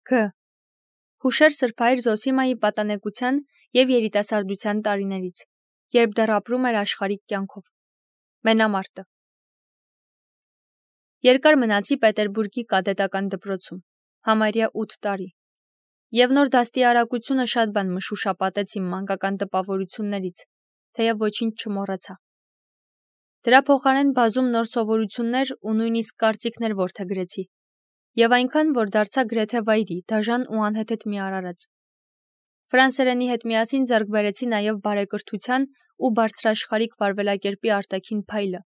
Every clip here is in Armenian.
Ք. Հուշեր Սրբայր Զոսիմայի պատանեկության և երիտասարդության տարիներից, երբ դեռ ապրում էր աշխարհիկ կյանքով։ Մենամարտը։ Երկար մնացի Պետերբուրգի կադետական դպրոցում, համարյա 8 տարի, և նոր դաստիարակությունը շատ բան մշուշապատեց իմ մանկական տպավորություններից, թեև ոչինչ չմոռացա։ Դրա փոխարեն բազում նոր սովորություններ ու նույնիսկ կարծիքներ որդեգրեցի, և այնքան, որ դարձա գրեթե վայրի, դաժան ու անհեթեթ մի արարած։ Ֆրանսերենի հետ միասին ձեռք բերեցի նաև բարեկրթության ու բարձրաշխարհիկ վարվելակերպի արտաքին փայլը,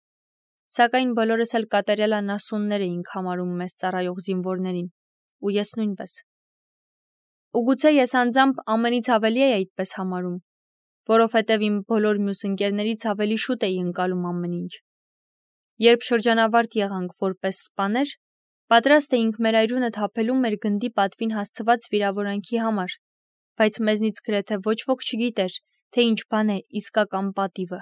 սակայն բոլորս էլ կատարյալ անասուններ էինք համարում մեզ ծառայող զինվորներին, ու ես նույնպես։ Ու գուցե ես անձամբ ամենից ավելի էի այդպես համարում, որովհետև իմ բոլոր մյուս ընկերներից ավելի շուտ էի ընկալում ամեն ինչ։ Երբ շրջանավարտ եղանք որպես սպաներ, պատրաստ էինք մեր այրունը թափելու մեր գնդի պատվին հասցված վիրավորանքի համար, բայց մեզնից գրեթե ոչ ոք չգիտեր, թե ինչ բան է իսկական պատիվը։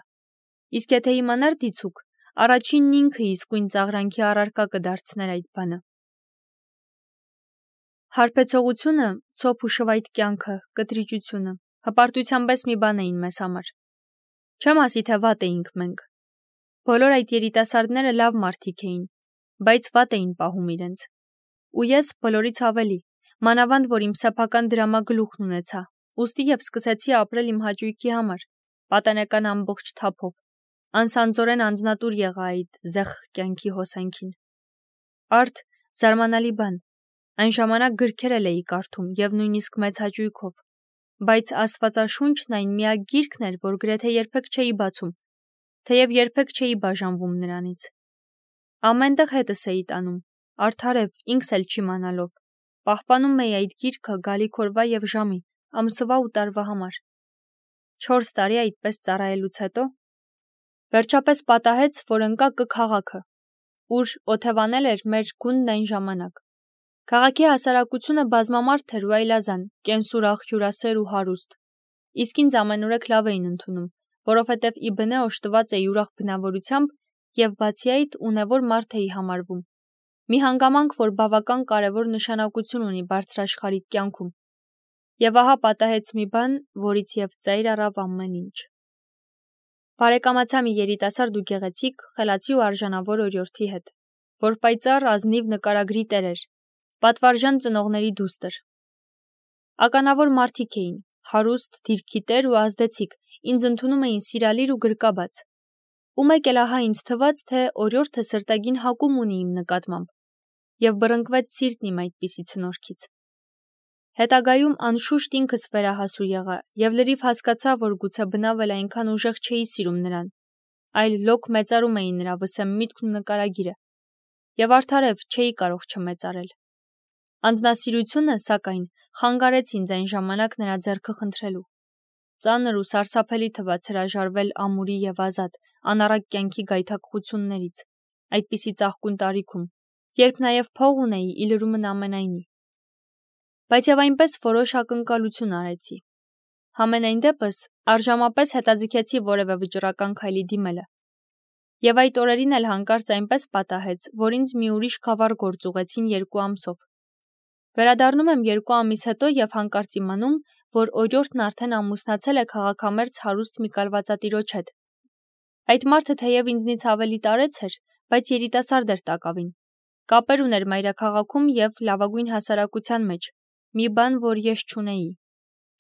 Իսկ եթե իմանար դիցուք, առաջինն ինքը իսկույն ծաղրանքի առարկա կդարձներ այդ բանը։ Հարբեցողությունը, ցոփ ու շվայտ կյանքը, կտրիճությունը, հպարտությամբ մի բան էին մեզ համար։ Չեմ ասի, թե վատ էինք մենք։ Բոլոր այդ երիտասարդները լավ մարդիկ էին, բայց վատ էին պահում իրենց։ Ու ես բոլորից ավելի, մանավանդ որ իմ սեփական դրամագլուխն ունեցա, ուստի և սկսեցի ապրել իմ հաճույքի համար, պատանեկան ամբողջ թափով, անսանձորեն անձնատուր եղա այդ զեղխ կյանքի հոսանքին։ Արդ զարմանալի բան, այն ժամանակ գրքեր էլ էի կարդում և նույնիսկ մեծ հաճույքով, բայց Աստվածաշունչն այն միակ գիրքն էր, որ գրեթե երբեք չէի բացում, թեև երբեք չէի բաժանվում նրանից։ Ամենտեղ հետս էի տանում, արդարև ինքս էլ չիմանալով, պահպանում էի այդ գիրքը գալիք օրվա և ժամի, ամսվա ու տարվա համար։ 4 տարի այդպես ծառայելուց հետո վերջապես պատահեց, որ ընկա Կ քաղաքը, ուր օթևանել էր մեր գունդն այն ժամանակ։ Քաղաքի հասարակությունը բազմամարդ էր ու այլազան, կենսուրախ, հյուրասեր ու հարուստ, իսկ ինձ ամենուրեք լավ էին ընդունում, որովհետև ի բնե օժտված էի ուրախ բնավորությամբ և բացի այդ ունևոր մարդ էի համարվում։ Մի հանգամանք, որ բավական կարևոր նշանակություն ունի բարձրաշխարհիկ կյանքում։ Եվ ահա պատահեց մի բան, որից և ծայր առավ ամեն ինչ։ Բարեկամացա մի երիտասարդ ու գեղեցիկ, խելացի ու արժանավոր օրիորդի հետ, որ պայծառ ազնիվ նկարագրի տեր էր, պատվարժան ծնողների դուստր։ Ականավոր մարդիկ էին, հարուստ, դիրքի տեր ու ազդեցիկ, ինձ ընդունում էին սիրալիր ու գրկաբաց։ Ու մեկ էլ ահա ինձ թվաց, թե օրիորդը սրտագին հակում ունի իմ նկատմամբ, և բռնկվեց սիրտն իմ այդպիսի ցնորքից։ Հետագայում անշուշտ ինքս վերահասու եղա և լրիվ հասկացա, որ գուցե բնավ էլ այնքան ուժեղ չէի սիրում նրան, այլ լոկ մեծարում էի նրա վսեմ միտքն ու նկարագիրը, և արդարև չէի կարող չմեծարել։ Անձնասիրությունը, սակայն, խանգարեց ինձ այն ժամանակ նրա ձեռքը խնդրելու։ Ծանր ու սարսափելի թվաց հրաժարվել ամուրի և ազատ, անառակ կյանքի գայթակղություններից, այդպիսի ծաղկուն տարիքում, երբ նաև փող ունեի ի լրումն ամենայնի։ Բայց և այնպես որոշ ակնկալություն արեցի։ Համենայն դեպս արժամապես հետաձգեցի որևէ վճռական քայլի դիմելը։ Եվ այդ օրերին էլ հանկարծ այնպես պատահեց, որ ինձ մի ուրիշ գավառ գործ ուղղեցին 2 ամսով։ Վերադառնում եմ 2 ամիս հետո և հանկարծ իմանում, որ օրիորդն արդեն ամուսնացել է քաղաքամերձ հարուստ մի կալվածատիրոջ հետ։ Այդ մարդը թեև ինձնից ավելի տարեց էր, բայց երիտասարդ էր տակավին։ Կապեր ուներ մայրաքաղաքում և լավագույն հասարակության մեջ, մի բան, որ ես չունեի։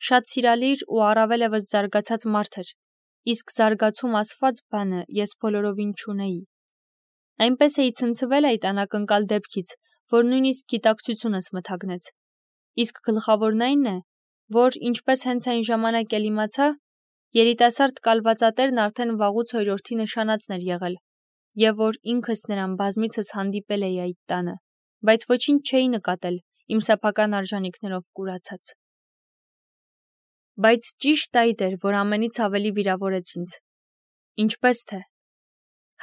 Շատ սիրալիր ու առավել ևս զարգացած մարդ էր, իսկ զարգացում ասված բանը ես բոլորովին չունեի։ Այնպես էի ցնցվել այդ անակնկալ դեպքից, որ նույնիսկ գիտակցությունս մթագնեց։ Իսկ գլխավորն այն է, որ ինչպես հենց այն ժամանակ էլ իմացա, երիտասարդ կալվածատերն արդեն վաղուց օրիորդի նշանածն էր եղել, և որ ինքս նրան բազմիցս հանդիպել էի այդ տանը, բայց ոչինչ չէի նկատել, իմ սեփական արժանիքներով կուրացած։ Բայց ճիշտ այդ էր, որ ամենից ավելի վիրավորեց ինձ։ Ինչպես թե։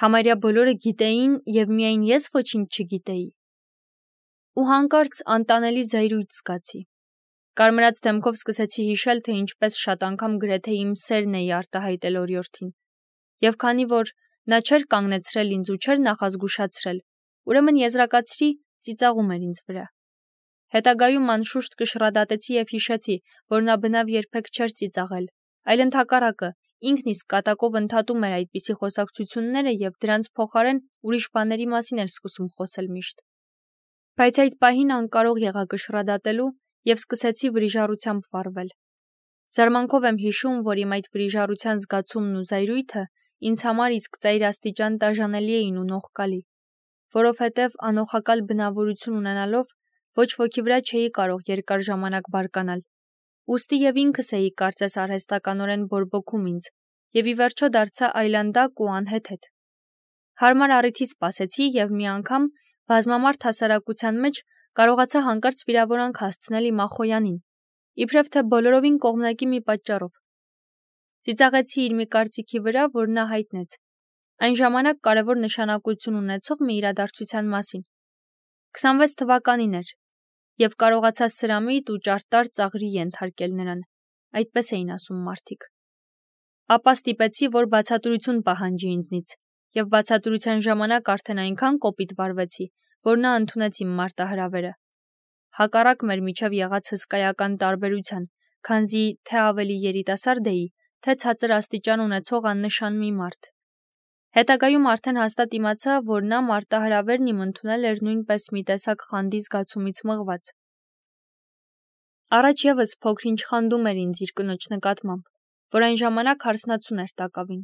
Համարյա բոլորը գիտեին և միայն ես ոչինչ չգիտեի։ Ու հանկարծ անտանելի զայրույթ զգացի։ Կարմրած դեմքով սկսեցի հիշել, թե ինչպես շատ անգամ գրեթե իմ սերն էի արտահայտել օրիորդին։ Եվ քանի որ նա չէր կանգնեցրել ինձ ու չէր նախազգուշացրել, ուրեմն եզրակացրի, ծիծաղում էր ինձ վրա։ Հետագայում անշուշտ կշռադատեցի և հիշեցի, որ նա բնավ երբեք չէր ծիծաղել, այլ ընդհակառակը, ինքն իսկ կատակով ընդհատում էր այդպիսի խոսակցությունները և դրանց փոխարեն ուրիշ բաների մասին էր սկսում խոսել միշտ։ Բայց այդ պահին անկարող եղա կշռադատելու և սկսեցի վրիժառությամբ վառվել։ Զարմանքով եմ հիշում, որ իմ այդ վրիժառության զգացումն ու զայրույթը ինձ համար իսկ ծայրաստիճան տաժանելի էին ու նողկալի, որովհետև անոխակալ բնավորություն ունենալով ոչ ոքի վրա չէի կարող երկար ժամանակ բարկանալ, ուստի և ինքս էի կարծես արհեստականորեն բորբոքում ինձ և ի վերջո դարձա այլանդակ ու անհեթեթ։ Հարմար առիթի սպասեցի և մի անգամ բազմամարդ հասարակության մեջ կարողացա հանկարծ վիրավորանք հասցնել իմ ախոյանին, իբրև թե բոլորովին կողմնակի մի պատճառով։ Ծիծաղեցի իր մի կարծիքի վրա, որ նա հայտնեց, այն ժամանակ կարևոր նշանակություն ունեցող մի իրադարձության մասին։ 26 թվականին էր, և կարողացա սրամիտ ու ճարտար ծաղրի ենթարկել նրան, այդպես էին ասում մարդիկ։ Ապա ստիպեցի, որ բացատրություն պահանջի ինձնից, և բացատրության ժամանակ արդեն այնքան կոպիտ վարվեցի, որ նա ընդունեց իմ մարտահրավերը։ Հակառակ մեր միջև եղած հսկայական տարբերության, քանզի թե ավելի երիտասարդ էի, թե ցածր աստիճան ունեցող աննշան մի մարդ։ Հետագայում արդեն հաստատ իմացա, որ նա մարտահրավերն իմ ընդունել էր նույնպես մի տեսակ խանդի զգացումից մղված։ Առաջ ևս փոքր-ինչ խանդում էր ինձ իր կնոջ նկատմամբ, որ այն ժամանակ հարսնացուն էր տակավին։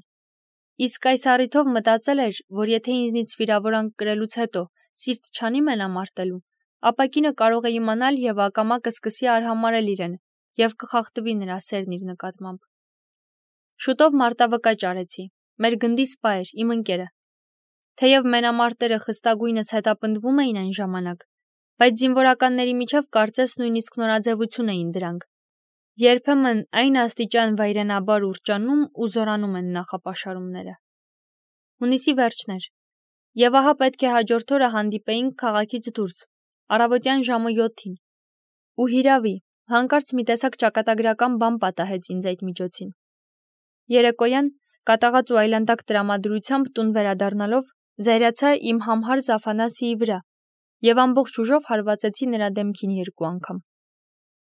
Իսկ այս առիթով մտածել էր, որ եթե ինձնից վիրավորանք կրելուց հետո սիրտ չանի մենամարտելու, ապա կինը կարող է իմանալ և ակամա կսկսի արհամարհել իրեն և կխախտվի նրա սերն իր նկատմամբ։ Շուտով մարտավկաճ արեցի, մեր գնդի սպա էր, իմ ընկերը։ Թեև մենամարտերը խստագույնս հետապնդվում էին այն ժամանակ, բայց զինվորականների միջև կարծես նույնիսկ նորաձևություն էին դրանք։ Երբեմն այն աստիճան վայրենաբար ուռճանում ու զորանում են նախապաշարումները։ Հունիսի վերջն էր, և ահա պետք է հաջորդ օրը հանդիպեինք քաղաքից դուրս, առավոտյան ժամը 7-ին։ Ու հիրավի, հանկարծ մի տեսակ ճակատագրական բան պատահեց ինձ այդ միջոցին։ Երեկոյան, կատաղած ու այլանդակ տրամադրությամբ տուն վերադառնալով, զայրացա իմ համհարզ Աֆանասիի վրա և ամբողջ ուժով հարվածեցի նրա դեմքին 2 անգամ։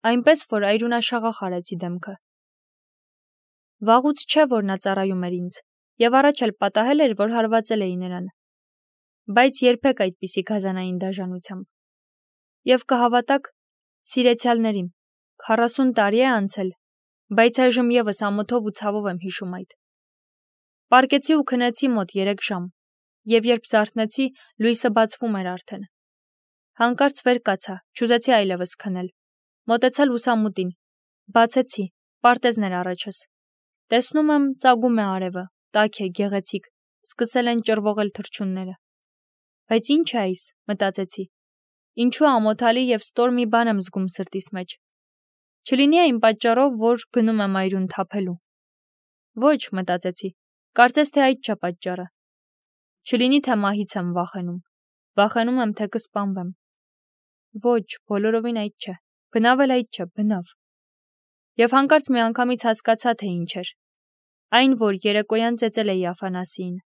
Այնպես, որ այրունաշաղախ արեցի դեմքը։ Վաղուց չէ, որ նա ծառայում էր ինձ, և առաջ էլ պատահել էր, որ հարվածել էի նրան, բայց երբեք այդպիսի գազանային դաժանությամբ։ Եվ կհավատաք, սիրեցյալների, 40 տարի է անցել, բայց այժմ ևս ամոթով ու ցավով եմ հիշում այդ։ Պառկեցի ու քնեցի մոտ 3 ժամ, և երբ զարթնեցի, լույսը բացվում էր արդեն։ Հանկարծ վեր կացա, չուզեցի այլևս քնել։ Մոտեցա լուսամուտին, բացեցի, պարտեզն էր առաջս։ Տեսնում եմ, ծագում է արևը, տաք է, գեղեցիկ, սկսել են ճռվողել թռչունները։ Բայց ի՞նչ է այս, մտածեցի։ Ինչու ամոթալի և ստոր մի բան եմ զգում սրտիս մեջ։ Չլինի այն պատճառով, որ գնում եմ այրուն թափելու։ Ոչ, մտածեցի, կարծես թե այդ չէ պատճառը։ Չլինի թե մահից եմ վախենում։ Վախենում եմ, թե կսպանվեմ։ Ոչ, բոլորովին այդ չէ։ Բնավ էլ այդ չէ, բնավ։ Եվ հանկարծ միանգամից հասկացա, թե ինչ էր։ Այն, որ երեկոյան ծեծել էի Աֆանասիին։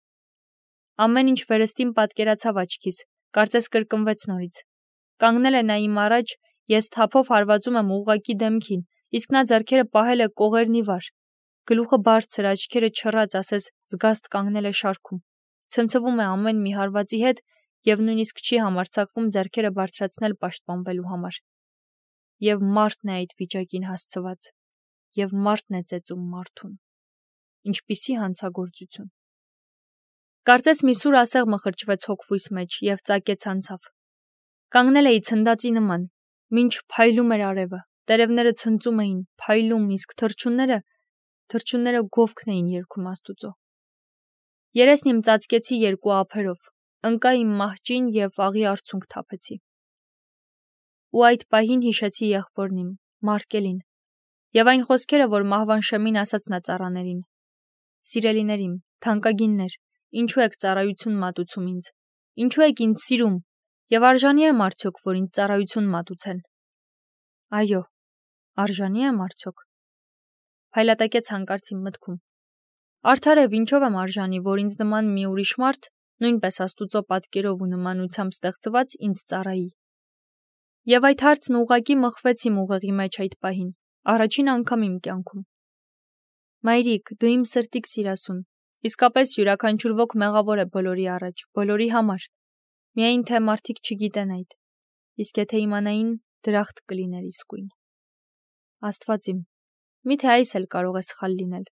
Ամեն ինչ վերստին պատկերացավ աչքիս, կարծես կրկնվեց նորից։ Կանգնել է նա իմ առաջ, ես թափով հարվածում եմ ուղղակի դեմքին, իսկ նա ձեռքերը պահել է կողերն ի վար։ Գլուխը բարձր, աչքերը չռած, ասես զգաստ կանգնել է շարքում։ Ցնցվում է ամեն մի հարվածի հետ և նույնիսկ չի համարձակվում ձեռքերը բարձրացնել պաշտպանվելու համար։ Եվ մարդն է այդ վիճակին հասցված, և մարդն է ծեծում մարդուն։ Ինչպիսի հանցագործություն։ Կարծես մի սուր ասեղ մխրճվեց հոգվույս մեջ և ծակեց անցավ։ Կանգնել էի ցնդածի նման, մինչ փայլում էր արևը, տերևները ցնծում էին, փայլում, իսկ թռչունները գովքն էին երգում Աստուծո։ Երեսն իմ ծածկեցի 2 ափերով, ընկա իմ մահճին և աղի արցունք թափեցի։ Ու այդ պահին հիշեցի եղբորն իմ, Մարկելին, և այն խոսքերը, որ մահվան շեմին ասաց նա ծառաներին. «Սիրելիներիմ, թանկագիններ, ինչու եք ծառայություն մատուցում ինձ, ինչու եք ինձ սիրում, և արժանի եմ արդյոք, որ ինձ ծառայություն մատուցեն»։ Այո, արժանի եմ արդյոք։ Փայլատակեց հանկարծ իմ մտքում։ Արդար է, ինչով եմ արժանի, որ ինձ նման մի ուրիշ մարդ, նույնպես Աստուծո պատկերով ու նմանությամբ ստեղծված, ինձ ծառայի։ Եվ այդ հարցն ուղղակի մղվեց իմ ուղեղի մեջ այդ պահին, առաջին անգամ իմ կյանքում։ Մայրիկ, դու իմ սրտիկ սիրասուն, իսկապես յուրաքանչյուր ոք մեղավոր է բոլորի առաջ, բոլորի համար։ Միայն թե մարդիկ չգիտեն այդ, իսկ եթե իմանային, դրախտ կլիներ իսկույն։ Աստված իմ, միթե այս էլ կարող է սխալ լինել,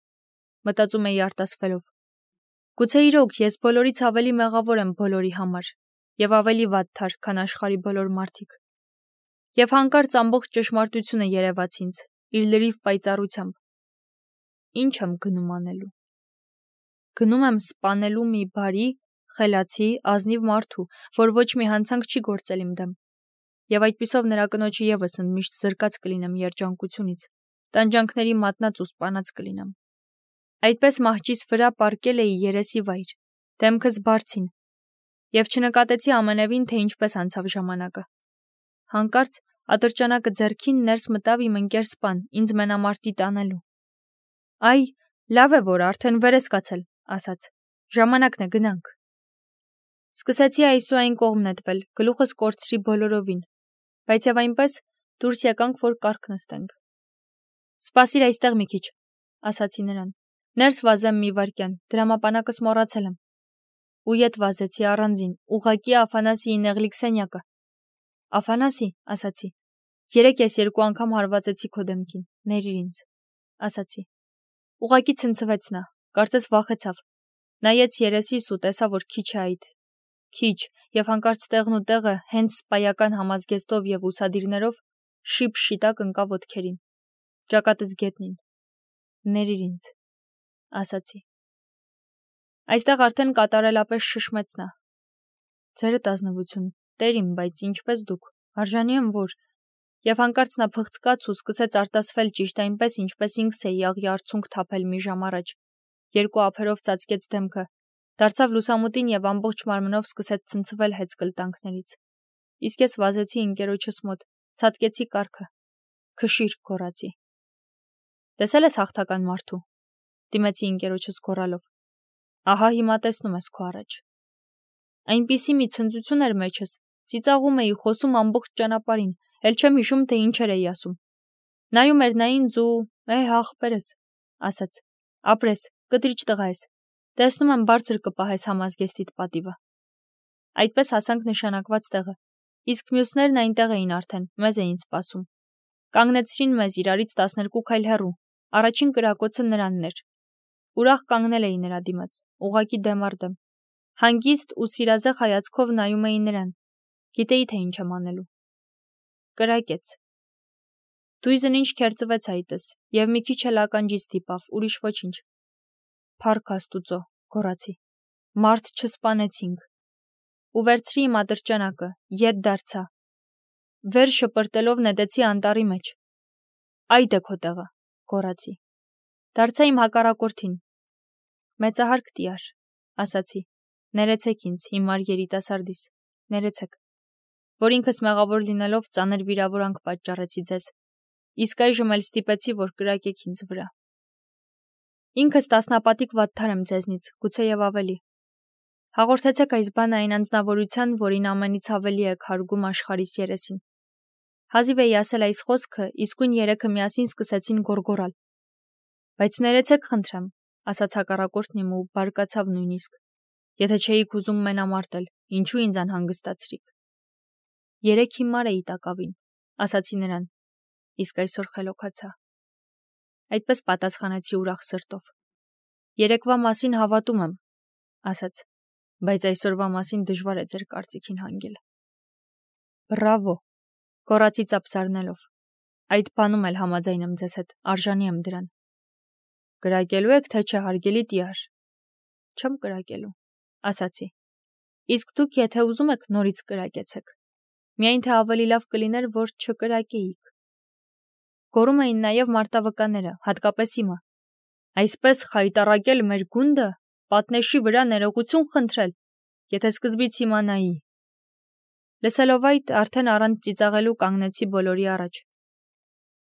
մտածում էի արտասվելով։ Գուցե իրոք ես բոլորից ավելի մեղավոր եմ բոլորի համար, եւ ավելի վատթար, քան աշխարհի բոլոր մարդիկ։ Եվ հանկարծ ամբողջ ճշմարտությունը երևաց ինձ, իր լրիվ պայծառությամբ։ Ինչ եմ գնում անելու։ Գնում եմ սպանելու մի բարի, խելացի, ազնիվ մարդու, որ ոչ մի հանցանք չի գործել իմ դեմ։ Եվ այդպիսով նրա կնոջը եւս ընդմիշտ զրկած կլինեմ երջանկությունից, տանջանքների մատնած ու սպանած կլինեմ։ Այդպես մահճիս վրա պառկել էի երեսի վայր, դեմքս բարձին, եւ չնկատեցի ամենևին, թե ինչպես անցավ ժամանակը։ Հանկարծ ատրճանակը ձեռքին ներս մտավ իմ ընկեր սպան, ինձ մենամարտի տանելու։ Այ, լավ է, որ արդեն վեր ես կացել, ասաց։ Ժամանակն է գնանք։ Սկսեցի այս ու այն կողմ նետվել, գլուխս կորցրի բոլորովին, բայց եւ այնպես դուրս եկանք, որ կառք նստենք։ Սպասիր այստեղ մի քիչ, ասացի նրան։ Ներս վազեմ մի վայրկյան, դրամապանակս մոռացել եմ։ Ու ետ վազեցի առանձին, ուղղակի Աֆանասիի նեղլիկ սենյակը։ Աֆանասի, ասացի, երեկ ես 2 անգամ հարվածեցի քո դեմքին, ներիր ինձ, ասացի։ Ուղղակի ցնցվեց նա, կարծես վախեցավ, նայեց երեսիս ու տեսավ, որ քիչ է այդ, քիչ, եւ հանկարծ տեղն ու տեղը հենց սպայական համազգեստով եւ ուսադիրներով շիպ շիտակ ընկավ ոտքերին, ճակատս գետնին, ներիր ինձ, ասացի։ Այստեղ արդեն կատարելապես շշմեց նա։ Ձերդ ազնվություն, տեր իմ, բայց ինչպես դուք, արժանի եմ որ, եւ հանկարծ նա փղծկաց ու սկսեց արտասվել ճիշտ այնպես, ինչպես ինքս էի աղի արցունք թափել մի ժամ առաջ, 2 ափերով ծածկեց դեմքը, դարձավ լուսամուտին եւ ամբողջ մարմնով սկսեց ցնցվել հեծկլտանքներից։ Իսկ ես վազեցի ընկերոջս մոտ, ցատկեցի կառքը, քշիր, գոռացի։ Տեսել ես հաղթական մարդու, դիմեցի ընկերոջս գոռալով։ Ահա հիմա տեսնում ես քո առաջ։ Այնպիսի մի ցնծություն էր մեջս, ծիծաղում էի, խոսում ամբողջ ճանապարհին, էլ չեմ հիշում, թե ինչեր էի ասում։ Նայում էր նա ինձ ու աղբերս, ասաց, ապրես, կտրիչ տղա ես, տեսնում եմ բարձր կպահես համազգեստիդ պատիվը։ Այդպես հասանք նշանակված տեղը, իսկ մյուսներն այնտեղ էին արդեն, մեզ էին սպասում։ Կանգնեցրին մեզ իրարից 12 քայլ հեռու, առաջին կրակոցը նրանն էր։ Ուրախ կանգնել էի նրա դիմաց, ուղղակի դեմ առ դեմ։ Հանգիստ ու սիրազեղ հայացքով նայում էի նրան, գիտեի, թե ինչ եմ անելու։ Կրակեց։ Դույզն ինչ քերծվեց այդս, եւ մի քիչ էլ ականջից դիպավ, ուրիշ ոչինչ։ Փառք Աստուծո, գոռացի։ Մարդ չսպանեցինք։ Ու վերցրի իմ ատրճանակը, ետ դարձա։ Վեր շպրտելով նետեցի անտառի մեջ։ Այդ է քո տեղը, գոռացի։ Դարձա իմ հակառակորդին։ Մեծահարկ տիար, ասացի։ Ներեցեք ինձ, հիմար երիտասարդիս, ներեցեք, որ ինքս մեղավոր լինելով ծանր վիրավորանք պատճառեցի ձեզ, իսկ այժմ էլ ստիպեցի, որ կրակեք ինձ վրա։ Ինքս տասնապատիկ վատթար եմ ձեզնից, գուցե եւ ավելի։ Հաղորդեցեք այս բանը այն անձնավորության, որին ամենից ավելի եք հարգում աշխարհիս երեսին։ Հազիվ էի ասել այս խոսքը, իսկույն երեքը միասին սկսեցին գոռգոռալ։ Բայց ներեցեք խնդրեմ, ասաց հակառակորդն իմ ու բարկացավ նույնիսկ։ Եթե չէիք ուզում մենամարտել, ինչու ինձ անհանգստացրիք։ Երեք հիմար էի տակավին, ասացի նրան, իսկ այսօր խելոքացա։ Այդպես պատասխանեցի ուրախ սրտով։ Երեկվա մասին հավատում եմ, ասաց, բայց այսօրվա մասին դժվար է ձեր կարծիքին հանգել։ Բրավո, գոռացի ծափսարնելով։ Այդ բանում էլ համաձայն եմ ձեզ հետ, արժանի եմ դրան։ Կրակելու եք, թե չէ, հարգելի տիար։ Չեմ կրակելու, ասացի։ Իսկ դուք, եթե ուզում եք, նորից կրակեցեք։ Միայն թե ավելի լավ կլիներ, որ չկրակեիք։ Գոռում էին նաև մարտավկանները, հատկապես իմը։ Այսպես խայտառակել մեր գունդը, պատնեշի վրա ներողություն խնդրել, եթե սկզբից իմանայի։ Լսելով այդ, արդեն առանց ծիծաղելու կանգնեցի բոլորի առաջ։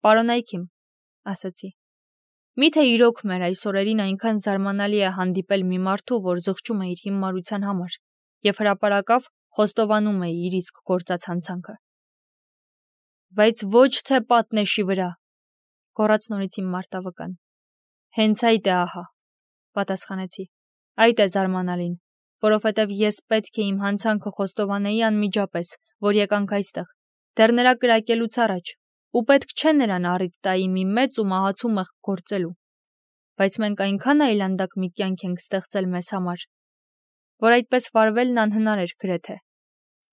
Պարոնայք իմ, ասացի։ Միթե իրոք մեր այս օրերին այնքան զարմանալի է հանդիպել մի մարդու, որ զղջում է իր հիմարության համար, եւ հրապարակավ խոստովանում է իր իսկ գործած հանցանքը։ Բայց ոչ թե պատնեշի վրա, գոռաց նորից իմ մարտավկան։ Հենց այդ է ահա, պատասխանեցի։ Այդ է զարմանալին, որովհետև ես պետք է իմ հանցանքը խոստովանեի անմիջապես, որ եկանք այստեղ, դեռ նրա կրակելուց առաջ, ու պետք չէ նրան առիթ տայի մի մեծ ու մահացու մեղք գործելու։ Բայց մենք այնքան այլանդակ մի կյանք ենք ստեղծել մեզ համար, որ այդպես վարվելն անհնար էր գրեթե,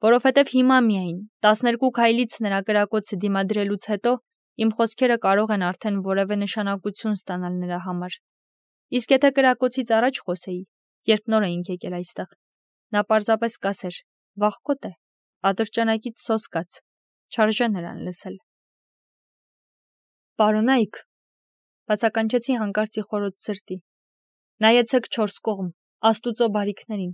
որովհետև հիմա միայն 12 քայլից նրա կրակոցը դիմադրելուց հետո իմ խոսքերը կարող են արդեն որևէ նշանակություն ստանալ նրա համար։ Իսկ եթե կրակոցից առաջ խոսեի, երբ նոր էինք եկել այստեղ, նա պարզապես կասեր. վաղկոտ է, ատրճանակից սոսկաց, չարժե նրան լսել։ Պարոնայք, բացականչեցի հանկարծ իխորոց սրտի, նայեցեք չորս կողմ, Աստուծո բարիքներին,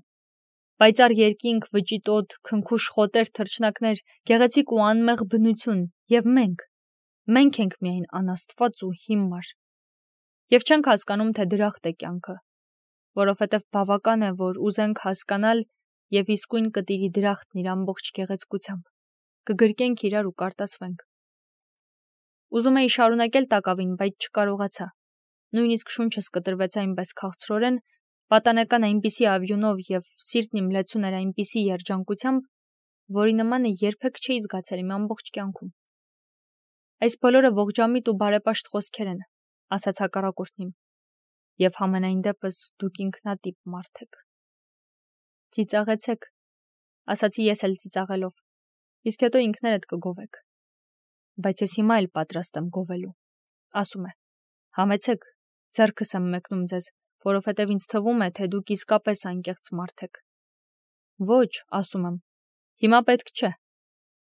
պայծառ երկինք, վճիտ օդ, քնքուշ խոտեր, թռչնակներ, գեղեցիկ ու անմեղ բնություն, եւ մենք ենք միայն անաստված ու հիմար։ Եվ չենք հասկանում, թե դրախտ է կյանքը, որովհետև բավական է, որ ուզենք հասկանալ եւ իսկույն կտիրի դրախտն իր ամբողջ գեղեցկությամբ, կգրկենք իրար ու կարտասվենք։ Ուզում էի շարունակել տակավին, բայց չկարողացա։ Նույնիսկ շունչս կտրվեց այնպես քաղցրորեն, պատանեկան այնպիսի ավյունով եւ սիրտն իմ լեցուն էր այնպիսի երջանկությամբ, որի նմանը երբեք չէի զգացել իմ ամբողջ կյանքում։ Այս բոլորը ողջամիտ ու բարեպաշտ խոսքեր են, ասաց հակառակորդն իմ, եւ համենայն դեպս դուք ինքնատիպ մարդ եք։ Ծիծաղեցեք, ասացի ես էլ ծիծաղելով, իսկ հետո ինքներդ կգովեք։ Բայց ես հիմա էլ պատրաստ եմ գովելու, ասում է, համեցեք, ձեռքս եմ մեկնում ձեզ, որովհետև ինձ թվում է, թե դուք իսկապես անկեղծ մարդ եք։ Ոչ, ասում եմ, հիմա պետք չէ,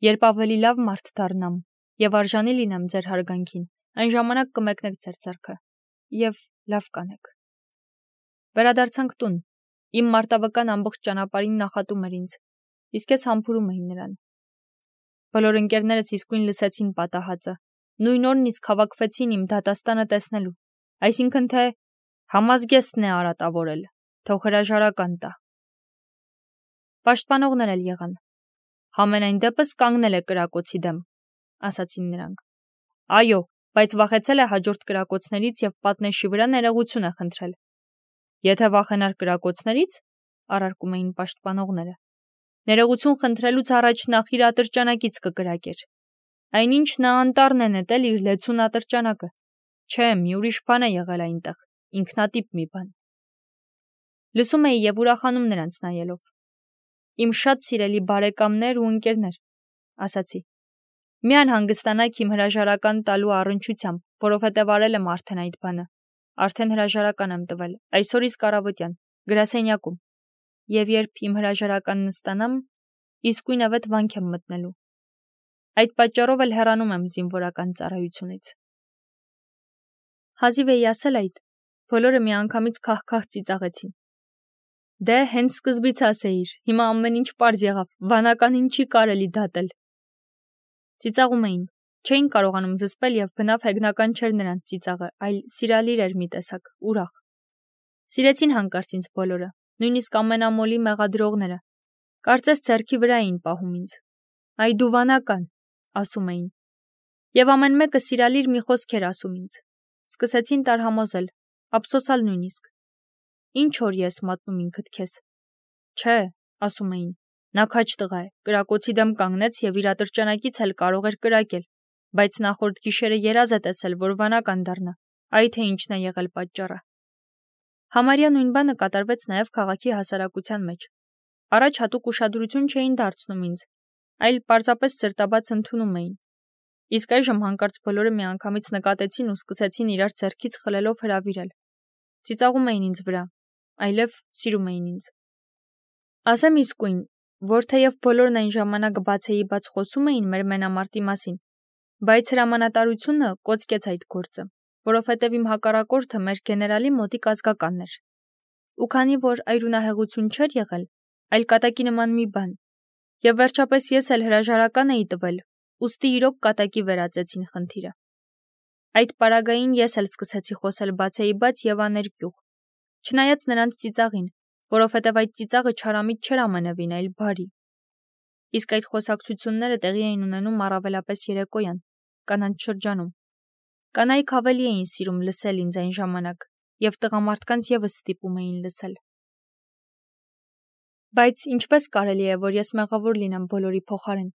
երբ ավելի լավ մարդ դառնամ եւ արժանի լինեմ ձեր հարգանքին, այն ժամանակ կմեկնեք ձեր ձեռքը եւ լավ կանեք։ Վերադարձանք տուն, իմ մարտավկան ամբողջ ճանապարհին նախատում էր ինձ, իսկ ես համբուրում էի նրան։ Բոլոր ընկերներս իսկույն լսեցին պատահածը, նույն օրն իսկ հավաքվեցին իմ դատաստանը տեսնելու, այսինքն թե համազգեստն է արատավորել, թող հրաժարական տա։ Պաշտպանողներ էլ եղան։ Համենայն դեպս կանգնել է կրակոցի դեմ, ասացին նրանք։ Այո, բայց վախեցել է հաջորդ կրակոցներից եւ պատնեշի վրա ներողություն է խնդրել։ Եթե վախենար կրակոցներից, առարկում էին պաշտպանողները, ներողություն խնդրելուց առաջ նախ իր ատրճանակից կկրակեր։ Այնինչ նա անտառն է նետել իր լեցուն ատրճանակը։ Չէ, մի ուրիշ բան է եղել այնտեղ, ինքնատիպ մի բան։ Լսում էի եւ ուրախանում նրանց նայելով։ Իմ շատ սիրելի բարեկամներ ու ընկերներ, ասացի։ Մի անհանգստանաք իմ հրաժարական տալու առնչությամբ, որովհետև արել եմ արդեն այդ բանը։ Արդեն հրաժարական եմ տվել, այսօր իսկ առավոտյան, գրասենյակում։ Եվ երբ իմ հրաժարականն ստանամ, իսկույն ավետ վանք եմ մտնելու։ Այդ պատճառով էլ հեռանում եմ զինվորական ծառայությունից։ Հազիվ էի ասել այդ, բոլորը միանգամից քահ-քահ ծիծաղեցին։ Դե հենց սկզբից ասեիր, հիմա ամեն ինչ պարզ եղավ, վանականին չի կարելի դատել։ Ծիծաղում էին, չէին կարողանում զսպել եւ բնավ հեգնական չէր նրանց ծիծաղը, այլ սիրալիր էր մի տեսակ, ուրախ։ Սիրեցին հանկարծ ինձ բոլորը, նույնիսկ ամենամոլի մեղադրողները։ Կարծես ձեռքի վրա էին պահում ինձ։ Այ դու վանական, ասում էին։ Եվ ամեն մեկը սիրալիր մի խոսք էր ասում ինձ։ Սկսեցին տարհամոզել, ափսոսալ նույնիսկ։ Ինչ որ ես մատնում ինքդ քեզ։ Չէ, ասում էին։ Նա քաջ տղա է, կրակոցի դեմ կանգնեց եւ իր ատրճանակից էլ կարող էր կրակել, բայց նախորդ գիշերը երազ է տեսել, որ վանական դառնա, այ թե ինչն է եղել պատճառը։ Համարյա նույն բանը կատարվեց նաեւ քաղաքի հասարակության մեջ։ Առաջ հատուկ ուշադրություն չէին դարձնում ինձ, այլ պարզապես սրտաբաց ընդունում էին։ Իսկ այժմ հանկարծ բոլորը միանգամից նկատեցին ու սկսեցին իրար ձեռքից խլելով հրավիրել։ Ծիծաղում էին ինձ վրա, այլև սիրում էին ինձ։ Ասեմ իսկույն, որ թեև բոլորն այն ժամանակ բացեիբաց խոսում էին մեր մենամարտի մասին, բայց հրամանատարությունը կոծկեց այդ գործը, որովհետև իմ հակառակորդը մեր գեներալի մոտիկ ազգականն էր։ Ու քանի որ այրունահեղություն չէր եղել, այլ կատակի նման մի բան, եւ վերջապես ես էլ հրաժարական էի տվել, ուստի իրոք կատակի վերածեցին խնդիրը։ Այդ պարագային ես էլ սկսեցի խոսել բացեիբաց եւ աներկյուղ, չնայած նրանց ծիծաղին, որովհետև այդ ծիծաղը չարամիտ չէր ամենևին, այլ բարի։ իսկ այդ խոսակցությունները տեղի էին ունենում առավելապես երեկոյան, կանանց շրջանում։ Կանայք ավելի էին սիրում լսել ինձ այն ժամանակ, և տղամարդկանց ևս ստիպում էին լսել։ Բայց ինչպես կարելի է, որ ես մեղավոր լինեմ բոլորի փոխարեն։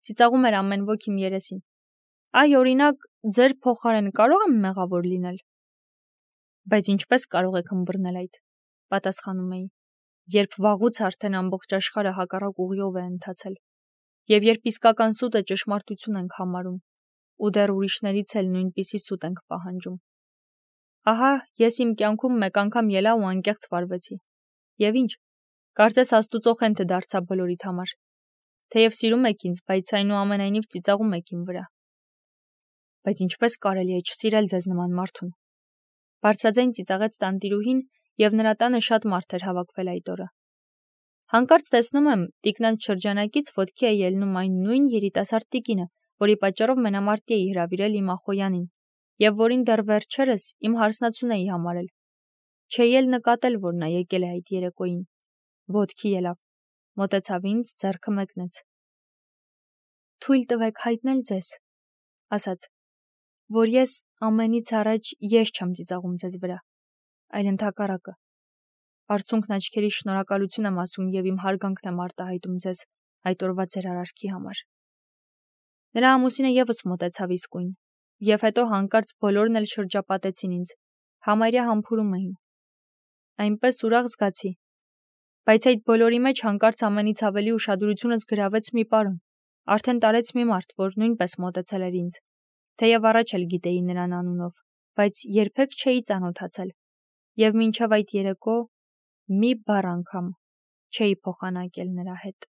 Ծիծաղում էր ամեն ոք իմ երեսին։ Այ օրինակ, ձեր փոխարեն կարող եմ մեղավոր լինել։ Բայց ինչպես կարող եք ըմբռնել այդ, պատասխանում էի, երբ վաղուց արդեն ամբողջ աշխարհը հակառակ ուղիով է ընթացել, և երբ իսկական սուտը ճշմարտություն ենք համարում, ու դեռ ուրիշներից էլ նույնպիսի սուտ ենք պահանջում։ Ահա, ես իմ կյանքում մեկ անգամ ելա ու անկեղծ վարվեցի։ Եվ ինչ, կարծես Աստուծո խենթը դարձա բոլորիդ համար։ Թեև սիրում եք ինձ, բայց այնուամենայնիվ ծիծաղում եք իմ վրա։ Բայց ինչպես կարելի է չսիրել ձեզ նման մարդուն։ Բարձրաձայն ծիծաղեց տանտիրուհին, և նրա տանը շատ մարդ էր հավաքվել այդ օրը։ Հանկարծ տեսնում եմ, տիկնանց շրջանակից ոտքի է ելնում այն նույն երիտասարդ տիկինը, որի պատճառով մենամարտի էի հրավիրել իմ ախոյանին, և որին դեռ վերջերս իմ հարսնացուն էի համարել։ Չէի էլ նկատել, որ նա եկել է այդ երեկոյին։ Ոտքի ելավ, մոտեցավ ինձ, ձեռքը մեկնեց։ Թույլ տվեք հայտնել ձեզ, ասաց, որ ես ամենից առաջ ես չեմ ծիծաղում ձեզ վրա, այլ ընդհակառակը։ Արցունքն աչքերի շնորհակալություն եմ ասում և իմ հարգանքն եմ արտահայտում ձեզ այդ օրվա ձեր արարքի համար։ Նրա ամուսինը ևս մոտեցավ իսկույն, և հետո հանկարծ բոլորն էլ շրջապատեցին ինձ, համարյա համբուրում էին։ Այնպես ուրախ զգացի, բայց այդ բոլորի մեջ հանկարծ ամենից ավելի ուշադրությունս գրավեց մի պարոն, արդեն տարեց մի մարդ, որ նույնպես մոտեցել էր ինձ, թեև առաջ էլ գիտեի նրան անունով, բայց երբեք չէի ծանոթացել, և մինչև այդ երեկո մի բառ անգամ չէի փոխանակել նրա հետ։